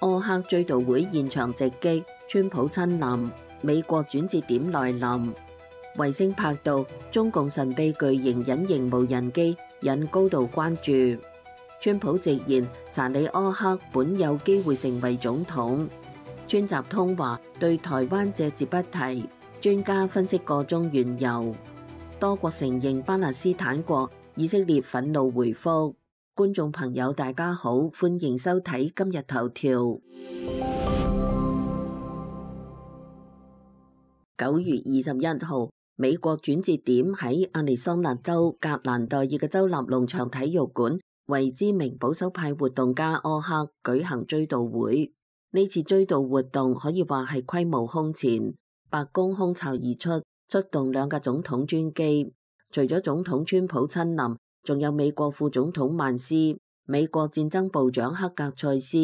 柯克追悼會現場直擊，川普親臨，美國轉折點來臨。衛星拍到中共神秘巨型隱形無人機，引高度關注。川普直言查理柯克本有機會成為總統。川習通話對台灣隻字不提，專家分析個中緣由。多國承認巴勒斯坦國，以色列憤怒回覆。觀眾朋友大家好，歡迎收睇今日頭條。9月21號，美國轉折點喺亞利桑那州格蘭代爾嘅州立農場體育館，為知名保守派活動家柯克舉行追悼會。呢次追悼活動可以話係規模空前，白宮空巢而出，出動2架總統專機。除咗總統川普親臨，仲有美國副總統曼斯、美國戰爭部長克格塞斯、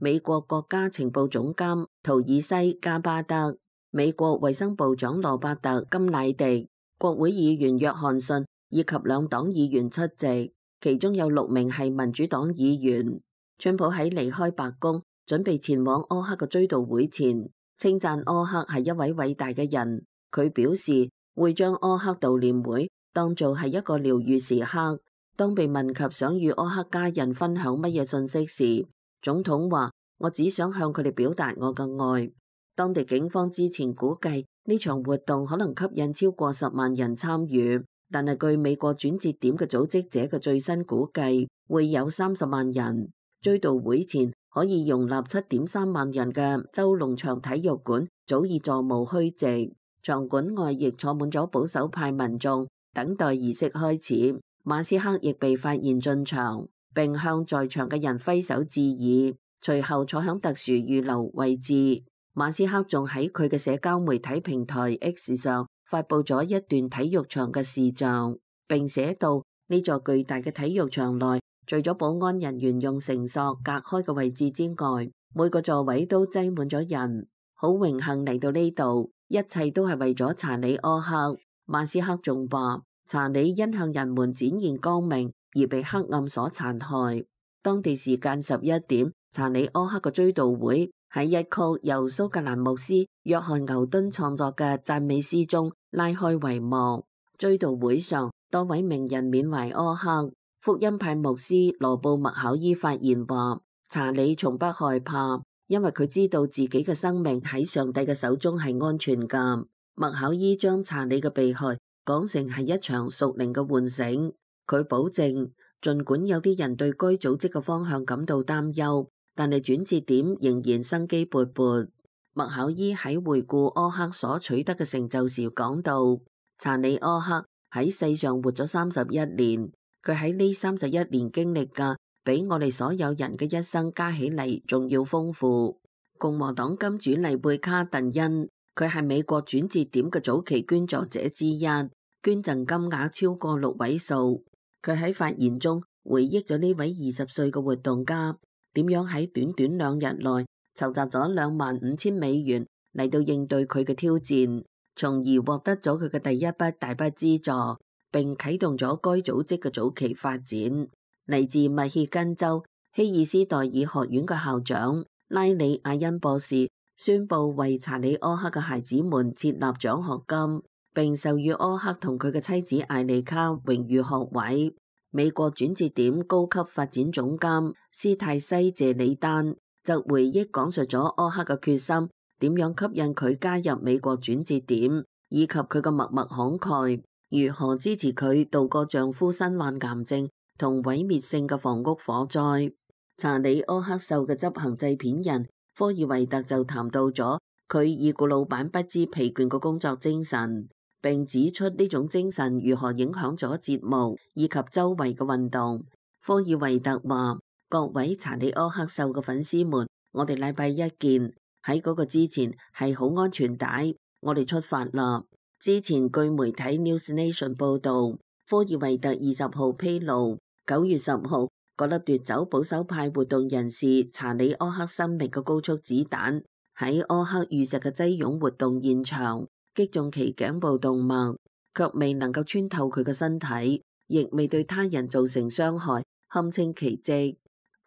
美國國家情報總監圖爾西加巴德、美國衛生部長羅伯特金乃迪、國會議員約翰遜以及2黨議員出席，其中有6名係民主黨議員。川普喺離開白宮準備前往柯克嘅追悼會前，稱讚柯克係一位偉大嘅人。佢表示會將柯克悼念會當做係一個療癒時刻。當被問及想與柯克家人分享乜嘢信息時，總統話：我只想向佢哋表達我嘅愛。當地警方之前估計呢場活動可能吸引超過10萬人參與，但係據美國轉折點嘅組織者嘅最新估計，會有30萬人。追悼會前可以容納7.3萬人嘅州農場體育館早已座無虛席，場館外亦坐滿咗保守派民眾，等待儀式開始。馬斯克亦被發現進場，並向在場嘅人揮手致意，隨後坐響特殊預留位置。馬斯克仲喺佢嘅社交媒體平台 X 上發佈咗一段體育場嘅視像，並寫道：呢座巨大嘅體育場內，除咗保安人員用繩索隔開嘅位置之外，每個座位都擠滿咗人。好榮幸嚟到呢度，一切都係為咗查理柯克。馬斯克仲話：查理因向人們展現光明而被黑暗所殘害。當地時間11點，查理柯克嘅追悼會喺一曲由蘇格蘭牧師約翰牛頓創作嘅讚美詩中拉開帷幕。追悼會上，多位名人緬懷柯克。福音派牧師羅布麥考伊發言話：查理從不害怕，因為佢知道自己嘅生命喺上帝嘅手中係安全㗎。麥考伊將查理嘅被害講成係一場屬靈嘅喚醒，佢保證，儘管有啲人對該組織嘅方向感到擔憂，但係轉折點仍然生機勃勃。麥考伊喺回顧柯克所取得嘅成就時講到，查理柯克喺世上活咗31年，佢喺呢31年經歷嘅，比我哋所有人嘅一生加起嚟仲要豐富。共和黨金主麗貝卡鄧恩，佢係美國轉折點嘅早期捐助者之一，捐贈金額超過6位數。佢喺發言中回憶咗呢位20歲嘅活動家點樣喺短短2日內籌集咗25,000美元嚟到應對佢嘅挑戰，從而獲得咗佢嘅第一筆大筆資助，並啟動咗該組織嘅早期發展。嚟自密歇根州希爾斯代爾學院嘅校長拉里亞恩博士宣布為查理柯克嘅孩子們設立獎學金，並授予柯克同佢嘅妻子艾莉卡榮譽學位。美國轉折點高級發展總監斯泰西謝里丹就回憶講述咗柯克嘅決心，點樣吸引佢加入美國轉折點，以及佢嘅默默慷慨，如何支持佢度過丈夫身患癌症同毀滅性嘅房屋火災。查理柯克秀嘅執行製片人科爾維特就談到咗佢已故老闆不知疲倦嘅工作精神，並指出呢種精神如何影響咗節目以及周圍嘅運動。科爾維特話：各位查理柯克秀嘅粉絲們，我哋禮拜一見。喺嗰個之前係好安全帶，我哋出發啦。之前據媒體 News Nation 報道，科爾維特20號披露，9月10號嗰粒奪走保守派活動人士查理柯克生命嘅高速子彈喺柯克遇襲嘅擠擁活動現場擊中其頸部動脈，卻未能夠穿透佢嘅身體，亦未對他人造成傷害，堪稱奇蹟。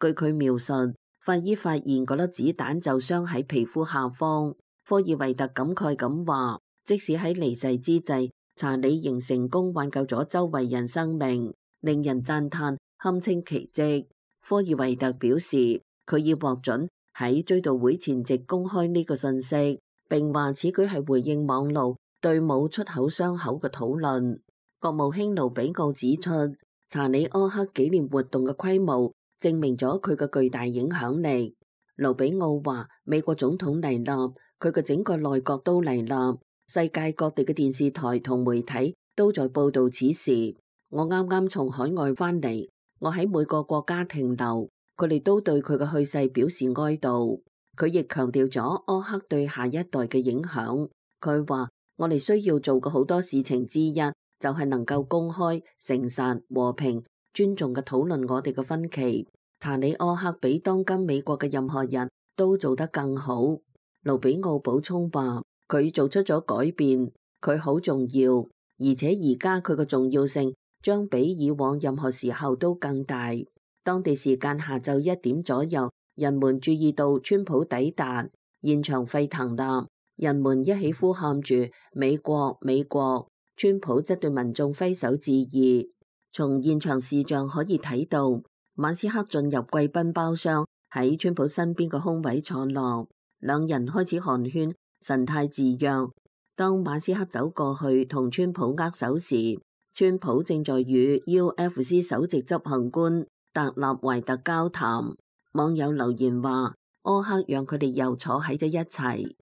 據佢描述，法醫發現嗰粒子彈就傷喺皮膚下方。科爾維特感慨咁話，即使喺離世之際，查理仍成功挽救咗周圍人生命，令人讚嘆，堪稱奇蹟。科爾維特表示，佢已獲准喺追悼會前夕公開呢個信息，並話此舉係回應網路對冇出口傷口嘅討論。國務卿盧比奧指出，查理柯克紀念活動嘅規模證明咗佢嘅巨大影響力。盧比奧話，美國總統嚟啦，佢嘅整個內閣都嚟啦，世界各地嘅電視台同媒體都在報道此事。我啱啱從海外翻嚟，我喺每個國家停留，佢哋都對佢嘅去世表示哀悼。佢亦強調咗柯克對下一代嘅影響。佢話，我哋需要做嘅好多事情之一，就係能夠公開、誠實、和平、尊重嘅討論我哋嘅分歧。查理柯克比當今美國嘅任何人都做得更好。盧比奧補充話，佢做出咗改變，佢好重要，而且而家佢嘅重要性將比以往任何時候都更大。當地時間下晝1點左右，人們注意到川普抵達，現場沸騰啦，人們一起呼喊住美國美國，川普則對民眾揮手致意。從現場視像可以睇到，馬斯克進入貴賓包廂，喺川普身邊嘅空位坐落，兩人開始寒暄，神態自若。當馬斯克走過去同川普握手時，川普正在與 UFC 首席執行官特納懷特交談。網友留言話，柯克讓佢哋又坐喺咗一齊。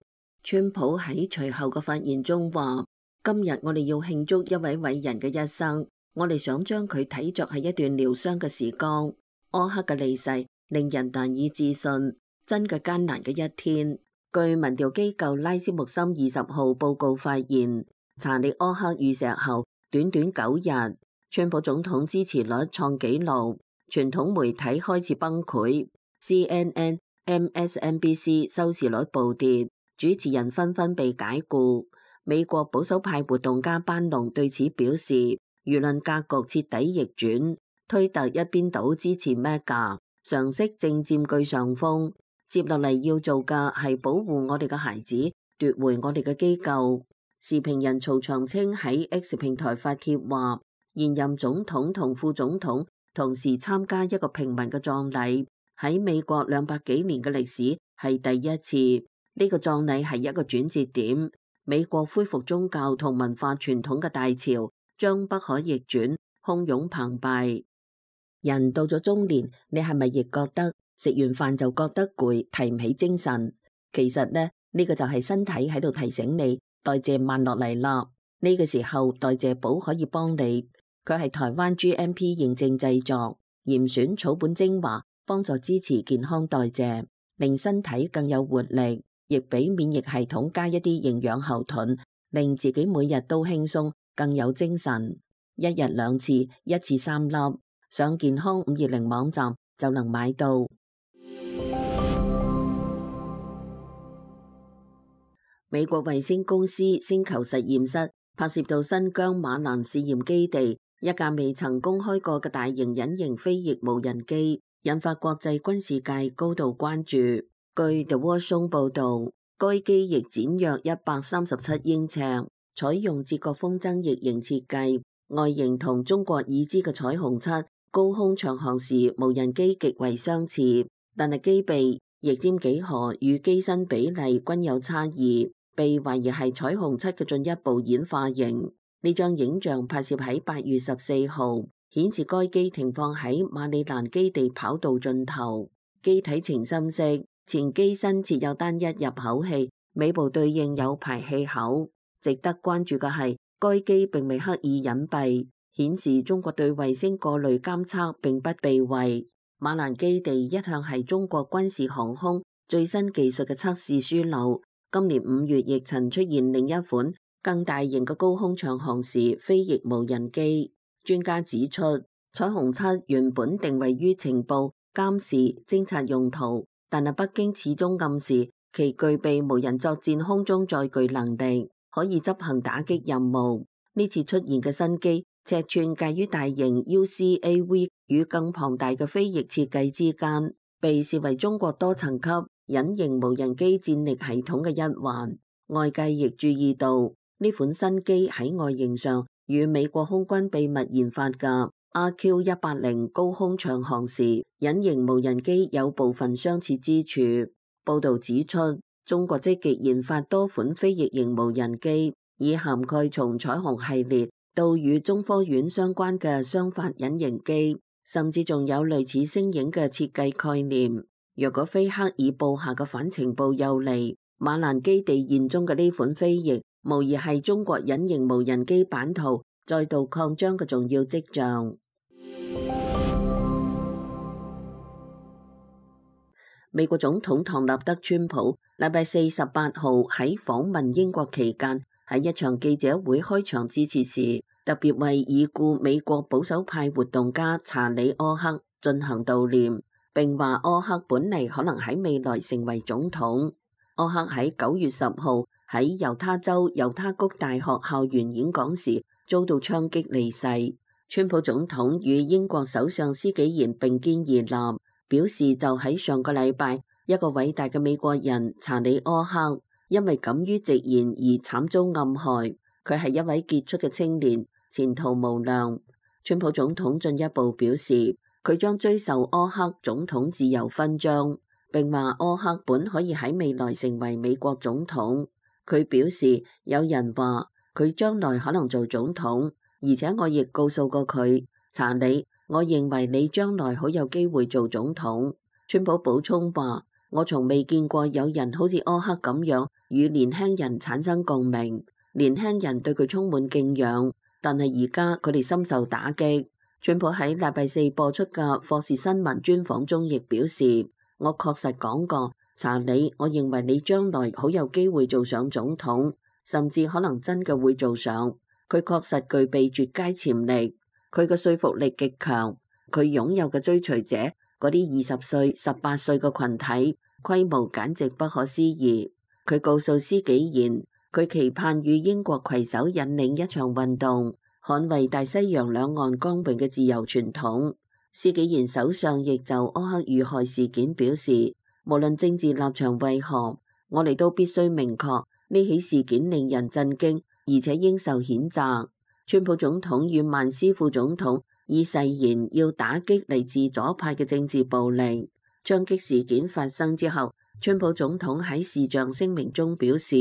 川普喺隨後嘅發言中話，今日我哋要慶祝一位偉人嘅一生，我哋想將佢睇作係一段療傷嘅時光。柯克嘅離世令人難以置信，真嘅艱難嘅一天。據民調機構拉斯穆森20號報告發現，查理柯克遇襲後短短9日，川普總統支持率創紀錄，傳統媒體開始崩潰 ，CNN、MSNBC 收視率暴跌，主持人紛紛被解僱。美國保守派活動家班農對此表示，輿論格局徹底逆轉。推特一邊倒支持 Mega， 常識正佔據上風。接落嚟要做嘅係保護我哋嘅孩子，奪回我哋嘅機構。時評人曹長青喺 X 平台發帖話，現任總統同副總統同時參加一個平民嘅葬禮，喺美國200幾年嘅歷史係第一次。呢個葬禮係一個轉折點，美國恢復宗教同文化傳統嘅大潮將不可逆轉，洶湧澎湃。人到咗中年，你係咪亦覺得食完飯就覺得攰，提唔起精神？其實呢個就係身體喺度提醒你代謝慢落嚟啦。呢個時候代謝寶可以幫你，佢係台灣 GMP 認證製作，嚴選草本精華，幫助支持健康代謝，令身體更有活力，亦俾免疫系統加一啲營養後盾，令自己每日都輕鬆，更有精神。1日2次，1次3粒。上健康520網站就能買到。美國衛星公司星球實驗室拍攝到新疆馬蘭試驗基地一架未曾公開過嘅大型隱形飛翼無人機，引發國際軍事界高度關注。據 The Washington 報道，該機翼展約137英尺，採用捷國風箏翼型設計，外形同中國已知嘅彩虹七高空長航時無人機極為相似，但係機臂、翼尖幾何與機身比例均有差異，被懷疑係彩虹七嘅進一步演化型。呢張影像拍攝喺8月14號，顯示該機停放喺馬里蘭基地跑道盡頭，機體呈深色，前機身設有單一入口器，尾部對應有排氣口。值得關注嘅係，該機並未刻意隱蔽，顯示中國對衛星過濾監測並不避諱。馬蘭基地一向係中國軍事航空最新技術嘅測試樞紐，今年5月亦曾出現另一款更大型嘅高空長航時飛翼無人機。專家指出，彩虹七原本定位於情報、監視、偵察用途，但係北京始終暗示其具備無人作戰空中載具能力，可以執行打擊任務。呢次出現嘅新機尺寸介於大型 UCAV 與更龐大嘅飛翼設計之間，被視為中國多層級隱形無人機戰力系統嘅一環。外界亦注意到呢款新機喺外形上與美國空軍秘密研發嘅 RQ-180高空長航時隱形無人機有部分相似之處。報導指出，中國積極研發多款非翼型無人機，以涵蓋從彩虹系列到與中科院相關嘅雙發隱形機，甚至仲有類似星影嘅設計概念。若果非克爾布下嘅反情報有利，馬蘭基地現中嘅呢款飛翼，無疑係中國隱形無人機版圖再度擴張嘅重要跡象。美國總統唐納德川普禮拜4、18號喺訪問英國期間，喺一場記者會開場致辭時，特別為已故美國保守派活動家查理·柯克進行悼念，並話柯克本嚟可能喺未來成為總統。柯克喺9月10號喺猶他州猶他谷大學校園演講時遭到槍擊離世。川普總統與英國首相施紀賢並肩而立，表示就喺上個禮拜，一個偉大嘅美國人查理·柯克因為敢於直言而慘遭暗害。佢係一位傑出嘅青年，前途無量。川普總統進一步表示，佢將追授柯克總統自由勳章，並話柯克本可以喺未來成為美國總統。佢表示，有人話佢將來可能做總統，而且我亦告訴過佢，查理，我認為你將來好有機會做總統。川普補充話，我從未見過有人好似柯克咁樣與年輕人產生共鳴，年輕人對佢充滿敬仰，但係而家佢哋深受打擊。川普喺禮拜4播出嘅霍士新聞專訪中亦表示，我確實講過，查理，我認為你將來好有機會做上總統，甚至可能真嘅會做上。佢確實具備絕佳潛力，佢嘅說服力極強，佢擁有嘅追隨者嗰啲20歲、18歲嘅群體規模簡直不可思議。佢告訴施紀賢，佢期盼與英國攜手引領一場運動，捍衛大西洋兩岸光榮嘅自由傳統。施紀賢首相亦就柯克遇害事件表示，無論政治立場為何，我哋都必須明確呢起事件令人震驚，而且應受譴責。川普總統與曼斯副總統已誓言要打擊嚟自左派嘅政治暴力。槍擊事件發生之後，川普總統喺視像聲明中表示，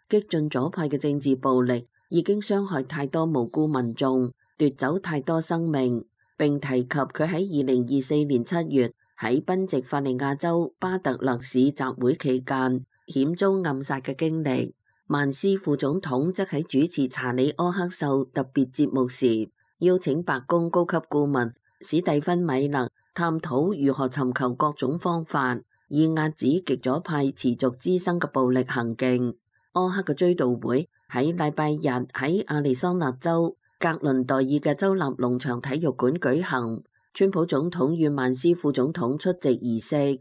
激進左派嘅政治暴力已經傷害太多無辜民眾，奪走太多生命，並提及佢喺2024年7月喺賓夕法尼亞州巴特勒市集會期間險遭暗殺嘅經歷。曼斯副總統則喺主持查理·柯克秀特別節目時，邀請白宮高級顧問史蒂芬·米勒探討如何尋求各種方法，以壓止極左派持續滋生嘅暴力行徑。柯克嘅追悼會喺禮拜日喺亞利桑那州格倫代爾嘅州立農場體育館舉行，川普總統與曼斯副總統出席儀式。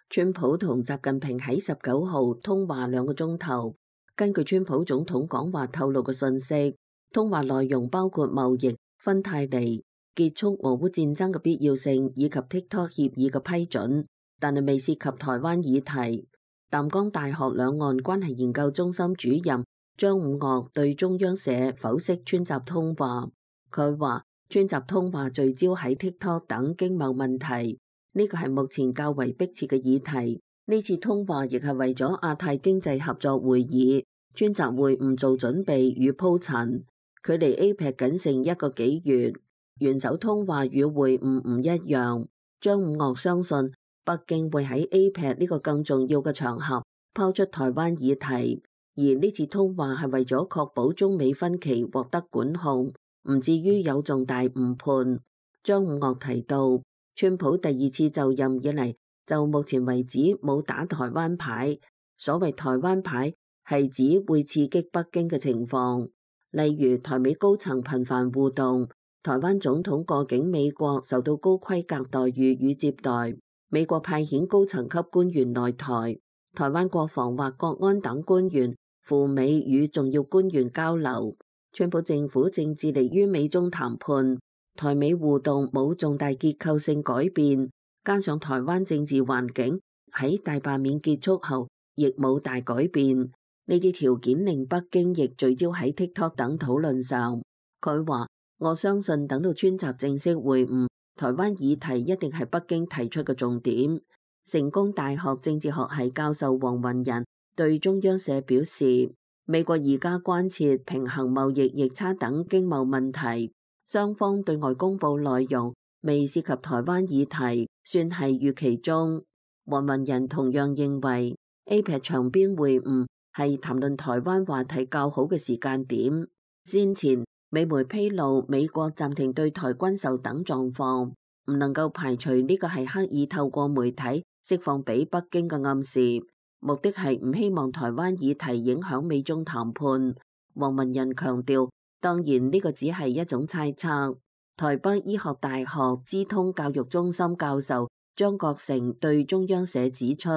川普同習近平喺19號通話2個鐘頭。根據川普總統講話透露嘅信息，通話內容包括貿易、芬太尼、結束俄烏戰爭嘅必要性以及 TikTok 協議嘅批准，但係未涉及台灣議題。淡江大學兩岸關係研究中心主任張五岳對中央社剖析川習通話，佢話川習通話聚焦喺 TikTok 等經貿問題，呢個係目前較為迫切嘅議題。呢次通話亦係為咗亞太經濟合作會議，川習會唔做準備與鋪陳，距離 APEC 僅剩1個幾月。元首通話與會晤唔一樣，張五岳相信北京會喺 APEC 呢個更重要嘅場合拋出台灣議題，而呢次通話係為咗確保中美分歧獲得管控，唔至於有重大誤判。張五岳提到，川普第2次就任以嚟，就目前為止冇打台灣牌，所謂台灣牌係指會刺激北京嘅情況，例如台美高層頻繁互動，台灣總統過境美國受到高規格待遇與接待，美國派遣高層級官員來台，台灣國防或國安等官員赴美與重要官員交流。川普政府正致力於美中談判，台美互動冇重大結構性改變，加上台灣政治環境喺大罷免結束後亦冇大改變，呢啲條件令北京亦聚焦喺 TikTok 等討論上。佢話：我相信等到川習正式會晤，台灣議題一定係北京提出嘅重點。成功大學政治學系教授黃雲仁對中央社表示，美國而家關切平衡貿易逆差等經貿問題，雙方對外公佈內容未涉及台灣議題，算係預期中。黃雲仁同樣認為 APEC 場邊會晤係談論台灣話題較好嘅時間點。先前美媒披露美國暫停對台軍售等狀況，唔能夠排除呢個係刻意透過媒體釋放俾北京嘅暗示，目的係唔希望台灣議題影響美中談判。黃雲仁強調，當然呢個只係一種猜測。台北醫學大學資通教育中心教授張國成對中央社指出，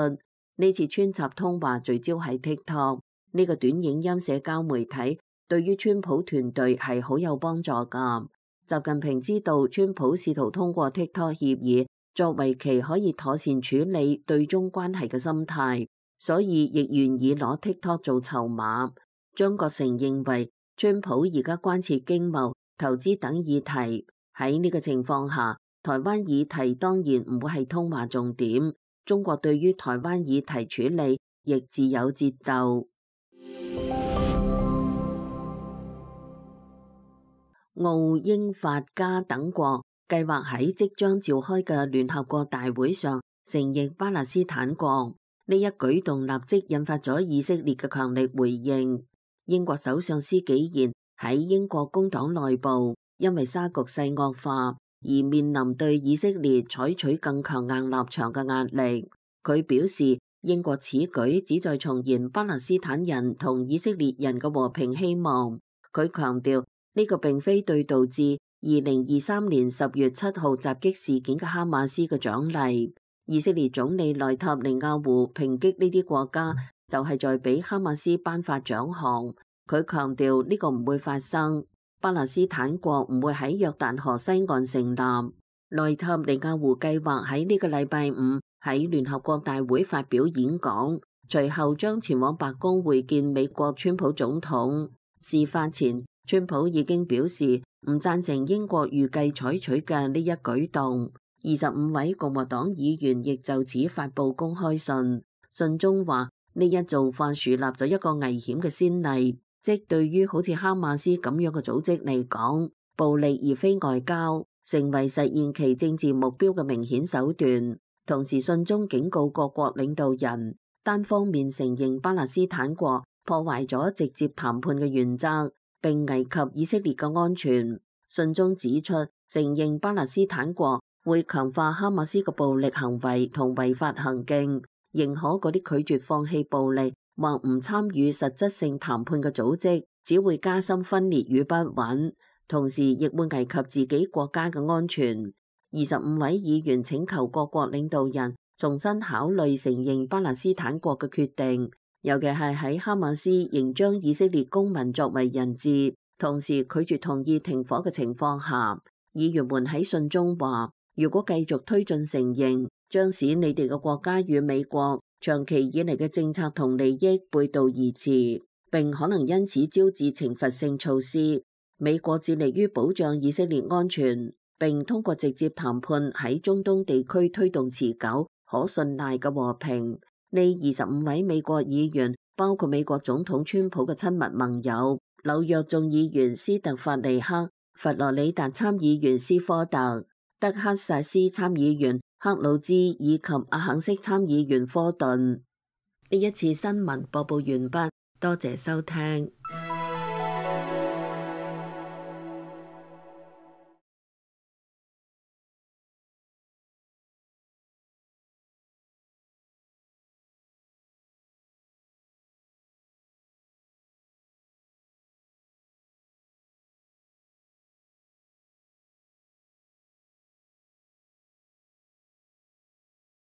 呢次川習通話聚焦喺 TikTok 呢個短影音社交媒體，對於川普團隊係好有幫助㗎。習近平知道川普試圖通過 TikTok 協議作為其可以妥善處理對中關係嘅心態，所以亦願意攞 TikTok 做籌碼。張國成認為，川普而家關切經貿、投資等議題，喺呢個情況下，台灣議題當然唔會係通話重點。中國對於台灣議題處理亦自有節奏。澳、英、法、加等國計劃喺即將召開嘅聯合國大會上承認巴勒斯坦國，呢一舉動立即引發咗以色列嘅強力回應。英國首相施紀賢喺英國工黨內部因為沙局勢惡化而面臨對以色列採取更強硬立場嘅壓力。佢表示，英國此舉旨在重燃巴勒斯坦人同以色列人嘅和平希望。佢強調，呢個並非對導致2023年10月7號襲擊事件嘅哈馬斯嘅獎勵。以色列總理內塔尼亞胡抨擊呢啲國家，就係在俾哈馬斯頒發獎項。佢強調呢個唔會發生，巴勒斯坦國唔會喺約旦河西岸成立。內塔尼亞胡計劃喺呢個禮拜五喺聯合國大會發表演講，隨後將前往白宮會見美國川普總統。事發前，川普已經表示唔贊成英國預計採取嘅呢一舉動。25位共和黨議員亦就此發布公開信，信中話呢一做法樹立咗一個危險嘅先例，即對於好似哈馬斯咁樣嘅組織嚟講，暴力而非外交，成為實現其政治目標嘅明顯手段。同時信中警告各國領導人，單方面承認巴勒斯坦國破壞咗直接談判嘅原則，並危及以色列嘅安全。信中指出，承認巴勒斯坦國會強化哈馬斯嘅暴力行為同違法行徑，認可嗰啲拒絕放棄暴力或唔參與實質性談判嘅組織，只會加深分裂與不穩，同時亦會危及自己國家嘅安全。25位議員請求各國領導人重新考慮承認巴勒斯坦國嘅決定，尤其係喺哈馬斯仍將以色列公民作為人質，同時拒絕同意停火嘅情況下。議員們喺信中話，如果繼續推進承認，將使你哋嘅國家與美國長期以嚟嘅政策同利益背道而馳，並可能因此招致懲罰性措施。美國致力於保障以色列安全，並通過直接談判喺中東地區推動持久、可信賴嘅和平。呢25位美國議員包括美國總統川普嘅親密盟友、紐約眾議員斯特法尼克、佛羅里達參議員斯科特、德克薩斯參議員克魯茲以及阿肯色參議員科頓。呢一次新聞播報完畢，多謝收聽。